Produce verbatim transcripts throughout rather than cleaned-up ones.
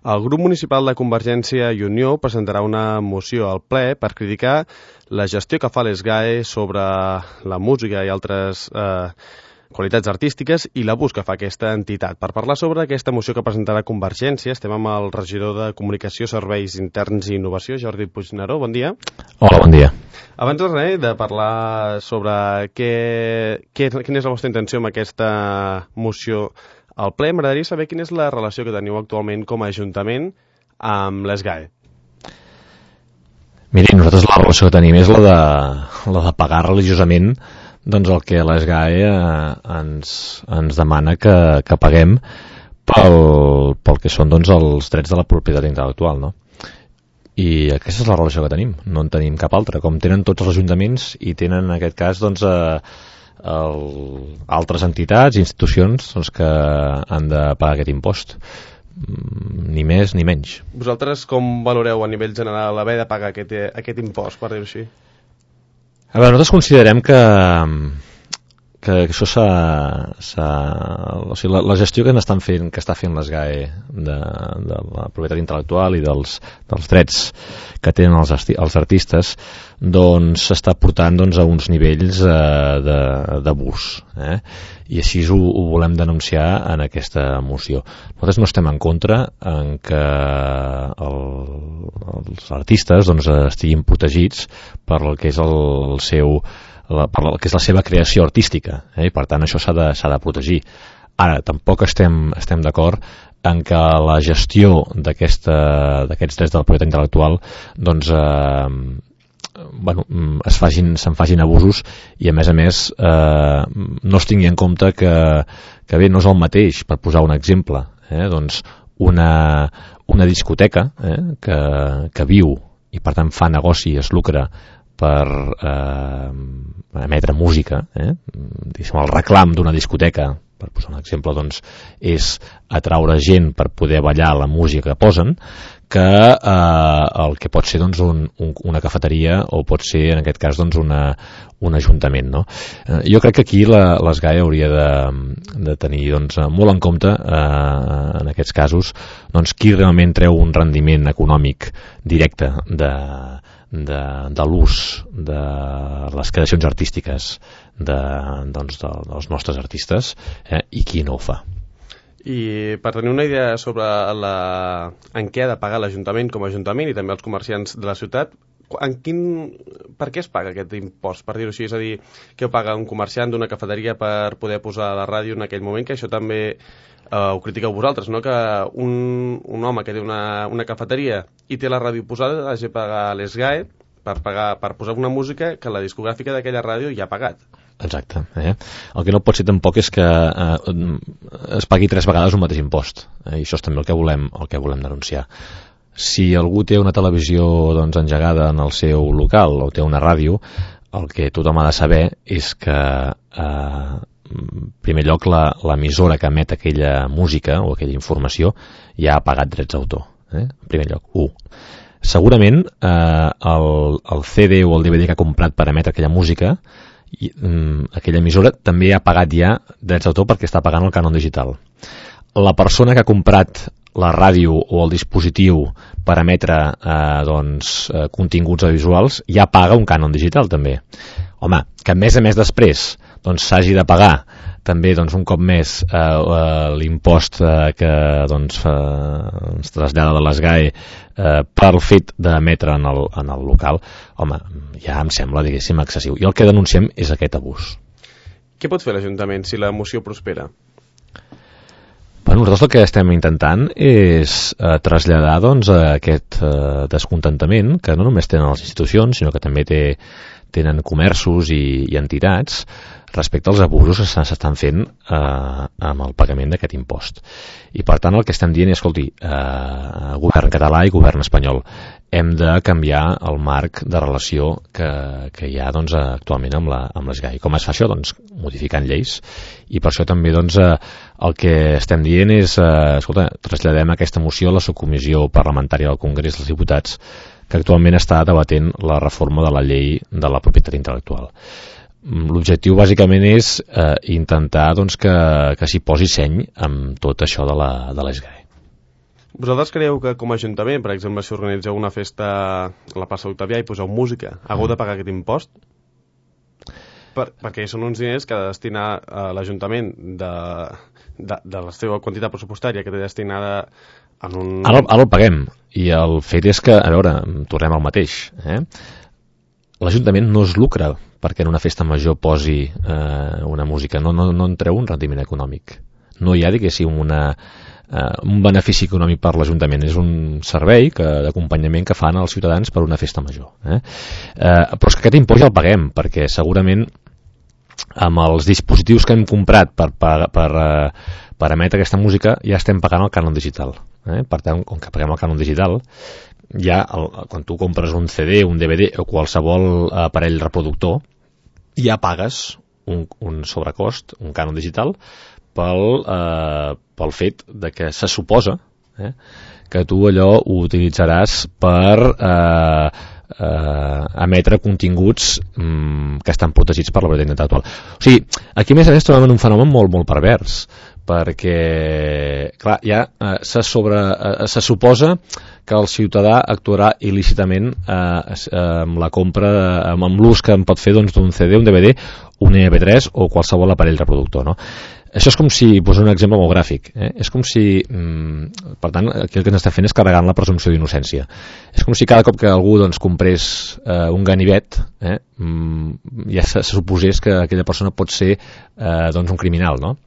El grup municipal de Convergència i Unió presentarà una moció al ple per criticar la gestió que fa l'ESGAE sobre la música i altres eh, qualitats artístiques i l'abús que fa aquesta entitat. Per parlar sobre aquesta moció que presentarà Convergència, estem amb el regidor de Comunicació, Serveis Interns i Innovació, Jordi Puigneró. Bon dia. Hola, bon dia. Abans de res, de parlar sobre què, què, quina és la vostra intenció amb aquesta moció al ple, m'agradaria saber quina és la relació que teniu actualment com a Ajuntament amb l'ESGAE. Miri, nosaltres la relació que tenim és la de, la de pagar religiosament doncs el que l'ESGAE eh, ens, ens demana que, que paguem pel, pel que són doncs, els drets de la propietat intel·lectual, no? I aquesta és la relació que tenim, no en tenim cap altra, com tenen tots els ajuntaments i tenen en aquest cas doncs, eh, el, altres entitats i institucions doncs, que han de pagar aquest impost, ni més ni menys. Vosaltres com valoreu a nivell general haver de pagar aquest, aquest impost, per dir-ho així? A veure, nosaltres considerem que que això s'ha, s'ha o sigui, la, la gestió que n'estan fent, que està fent l'ESGAE de, de la propietat intel·lectual i dels, dels drets que tenen els, els artistes, doncs s'està portant doncs, a uns nivells eh, d'abús, eh? I així ho, ho volem denunciar en aquesta moció. Nosaltres no estem en contra en que el, els artistes doncs, estiguin protegits per el que és el, el seu La, per la, que és la seva creació artística, eh? I per tant això s'ha de, s'ha de protegir. Ara, tampoc estem, estem d'acord en que la gestió d'aquests drets de la propietat intel·lectual doncs, eh, bueno, es facin, se'n facin abusos i a més a més eh, no es tingui en compte que, que bé, no és el mateix, per posar un exemple, eh? Doncs una, una discoteca eh? que, que viu i per tant fa negoci, es lucra per eh, emetre música, eh? El reclam d'una discoteca, per posar un exemple, doncs, és atraure gent per poder ballar la música que posen, que eh, el que pot ser doncs, un, un, una cafeteria o pot ser, en aquest cas, doncs, una, un ajuntament. No? Eh, jo crec que aquí l'ESGAE hauria de, de tenir doncs, molt en compte, eh, en aquests casos, doncs, qui realment treu un rendiment econòmic directe de de, de l'ús de les creacions artístiques de, doncs, de, dels nostres artistes eh, i qui no ho fa. I per tenir una idea sobre la, en què ha de pagar l'Ajuntament com a Ajuntament i també els comerciants de la ciutat, en quin, per què es paga aquest impost, per dir-ho així? És a dir, què ho paga un comerciant d'una cafeteria per poder posar la ràdio en aquell moment, que això també eh, ho critiqueu vosaltres, no? Que un, un home que té una, una cafeteria i té la ràdio posada hagi de pagar l'ESGAE per, pagar, per posar una música que la discogràfica d'aquella ràdio ja ha pagat. Exacte. Eh? El que no pot ser tampoc és que eh, es pagui tres vegades un mateix impost. Eh? I això és també el que volem, el que volem denunciar. Si algú té una televisió doncs, engegada en el seu local o té una ràdio, el que tothom ha de saber és que eh, en primer lloc l'emissora que emet aquella música o aquella informació ja ha pagat drets d'autor. Eh? En primer lloc, u. Segurament eh, el, el C D o el D V D que ha comprat per emetre aquella música, i, um, aquella emissora també ha pagat ja drets d'autor perquè està pagant el cànon digital. La persona que ha comprat la ràdio o el dispositiu per emetre eh, doncs, eh, continguts audiovisuals ja paga un cànon digital també. Home, que a més a més després doncs, s'hagi de pagar també doncs, un cop més eh, eh, l'impost eh, que doncs, eh, ens trasllada de l'ESGAE eh, pel fet d'emetre en, el, en el local, home, ja em sembla, diguéssim, excessiu. I el que denunciem és aquest abús. Què pot fer l'Ajuntament si la moció prospera? Bueno, nosaltres el que estem intentant és eh, traslladar doncs, aquest eh, descontentament que no només tenen les institucions, sinó que també té, tenen comerços i, i entitats respecte als abusos que s'estan fent eh, amb el pagament d'aquest impost. I per tant el que estem dient és, escolti, eh, govern català i govern espanyol, hem de canviar el marc de relació que, que hi ha doncs, actualment amb la, amb l'ESGAE. Com es fa això? Doncs modificant lleis. I per això també doncs, eh, el que estem dient és, eh, escolta, traslladem aquesta moció a la subcomissió parlamentària del Congrés dels Diputats que actualment està debatent la reforma de la llei de la propietat intel·lectual. L'objectiu bàsicament és eh, intentar doncs, que, que s'hi posi seny amb tot això de la, de l'ESGAE. Vosaltres creieu que com a Ajuntament, per exemple, si organitzeu una festa a la plaça Octavià i poseu música, hagueu de pagar aquest impost? Per, perquè són uns diners que ha de destinar a l'Ajuntament de, de, de la seva quantitat pressupostària que té destinada en un... Ara, ara el paguem, i el fet és que, a veure, tornem al mateix, eh? L'Ajuntament no es lucra perquè en una festa major posi eh, una música, no, no, no en treu un rendiment econòmic. No hi ha, diguéssim, una, eh, un benefici econòmic per l'Ajuntament, és un servei que, d'acompanyament que fan els ciutadans per una festa major. Eh? Eh, però és que aquest impost ja el paguem, perquè segurament amb els dispositius que hem comprat per, per, per, eh, per emetre aquesta música ja estem pagant el cànon digital. Eh? Per tant, com que paguem el cànon digital, ja el, quan tu compres un C D, un D V D o qualsevol aparell reproductor, ja pagues un, un sobrecost, un cànon digital, pel, eh, pel fet de que se suposa eh, que tu allò ho utilitzaràs per eh, eh, emetre continguts mm, que estan protegits per la propietat intel·lectual. O sigui, aquí a més a més trobem un fenomen molt, molt pervers, perquè, clar, ja eh, se, sobre, eh, se suposa que el ciutadà actuarà il·lícitament eh, amb la compra, amb, amb l'ús que en pot fer doncs, d'un C D, un D V D, un M P tres o qualsevol aparell reproductor, no? Això és com si, poso un exemple molt gràfic, eh? És com si, mm, per tant, aquí el que ens està fent és carregant la presumpció d'innocència. És com si cada cop que algú doncs, comprés eh, un ganivet, eh, mm, ja se, se suposés que aquella persona pot ser eh, doncs, un criminal, no?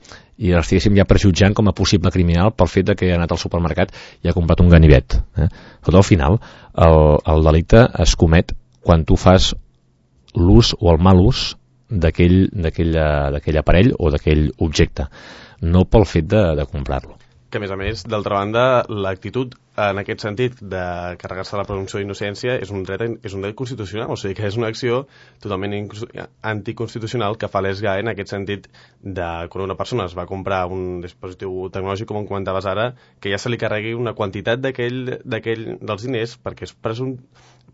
I l'estiguéssim ja prejutjant com a possible criminal pel fet de que ha anat al supermercat i ha comprat un ganivet. Eh? Tot al final, el, el delicte es comet quan tu fas l'ús o el mal ús d'aquell, d'aquell aparell o d'aquell objecte, no pel fet de, de comprar-lo. Que a més a més, d'altra banda, l'actitud en aquest sentit de carregar-se la presumpció d'innocència és un dret és un dret constitucional, o sigui que és una acció totalment anticonstitucional que fa l'E S G A E en aquest sentit de quan una persona es va comprar un dispositiu tecnològic, com comentaves ara, que ja se li carregui una quantitat d'aquell d'aquell dels diners perquè es presum,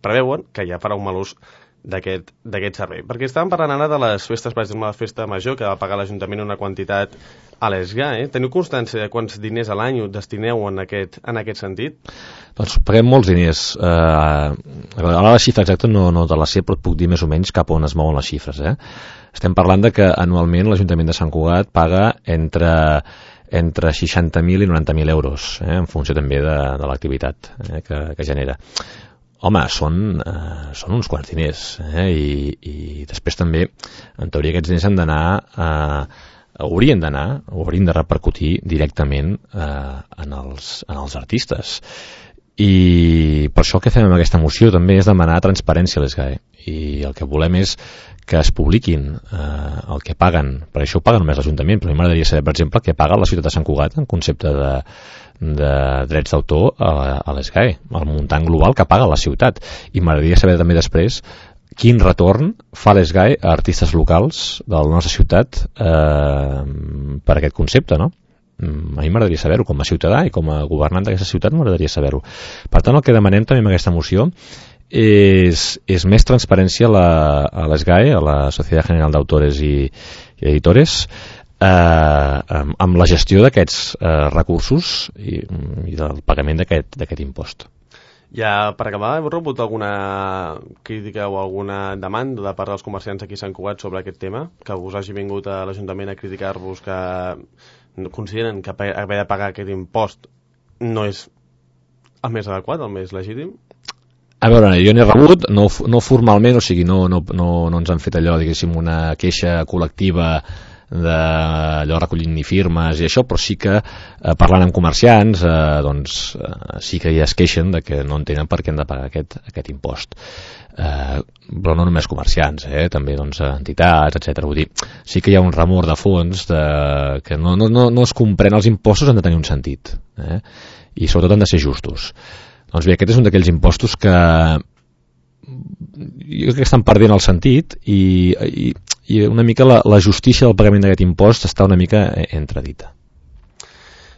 preveuen que ja farà un mal ús d'aquest d'aquest servei. Perquè estàvem parlant ara de les festes, per exemple, la festa major, que va pagar l'Ajuntament una quantitat a l'E S G A E. Teniu constància de quants diners a l'any destineu en aquest, en aquest sentit? Doncs paguem molts diners. Eh, ara la xifra exacta no, no te la sé, però et puc dir més o menys cap on es mouen les xifres. Eh? Estem parlant de que anualment l'Ajuntament de Sant Cugat paga entre entre seixanta mil i noranta mil euros, eh, en funció també de, de l'activitat eh, que, que genera. Home, són, eh, són uns quants diners, eh? I, i després també, en teoria, aquests diners han d'anar, eh, haurien d'anar, o haurien de repercutir directament eh, en, els, en els artistes. I per això el que fem amb aquesta moció també és demanar transparència a l'E S G A E. I el que volem és que es publiquin eh, el que paguen, per això ho paguen només l'Ajuntament, però a mi m'agradaria saber, per exemple, què paga la ciutat de Sant Cugat en concepte de de drets d'autor a, a l'E S G A E, el muntant global que paga la ciutat. I m'agradaria saber també després quin retorn fa l'E S G A E a artistes locals de la nostra ciutat eh, per aquest concepte, no? A mi m'agradaria saber-ho com a ciutadà i com a governant d'aquesta ciutat m'agradaria saber-ho. Per tant, el que demanem també amb aquesta moció és, és més transparència a, la, a l'E S G A E, a la Societat General d'Autores i, i Editores, Eh, amb la gestió d'aquests eh, recursos i, i del pagament d'aquest d'aquest impost. Ja, per acabar, heu rebut alguna crítica o alguna demanda de part dels comerciants aquí a Sant Cugat sobre aquest tema? Que us hagi vingut a l'Ajuntament a criticar-vos, que consideren que haver de pagar aquest impost no és el més adequat, el més legítim? A veure, jo n'he rebut, no, no formalment, o sigui, no, no, no, no ens han fet allò, diguéssim, una queixa col·lectiva d'allò recollint ni firmes i això, però sí que eh, parlant amb comerciants eh, doncs eh, sí que ja es queixen de que no entenen per què han de pagar aquest, aquest impost, eh, però no només comerciants, eh, també doncs, entitats, etcètera. Vull dir, sí que hi ha un remor de fons de, que no, no, no, no es comprèn, els impostos han de tenir un sentit, eh, i sobretot han de ser justos. Doncs bé, aquest és un d'aquells impostos que jo crec que estan perdent el sentit i, i, i una mica la, la justícia del pagament d'aquest impost està una mica entredita.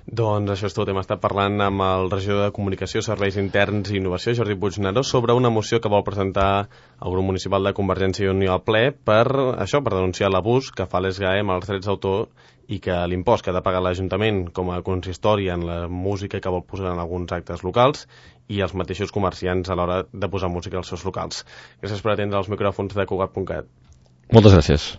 Doncs això és tot. Hem estat parlant amb el regidor de Comunicació, Serveis Interns i Innovació, Jordi Puigneró, sobre una moció que vol presentar el grup municipal de Convergència i Unió al ple per això, per denunciar l'abús que fa l'E S G A E amb els drets d'autor i que l'impost que ha de pagar l'Ajuntament com a consistori en la música que vol posar en alguns actes locals i els mateixos comerciants a l'hora de posar música als seus locals. Gràcies per atendre els micròfons de Cugat punt cat. Moltes gràcies.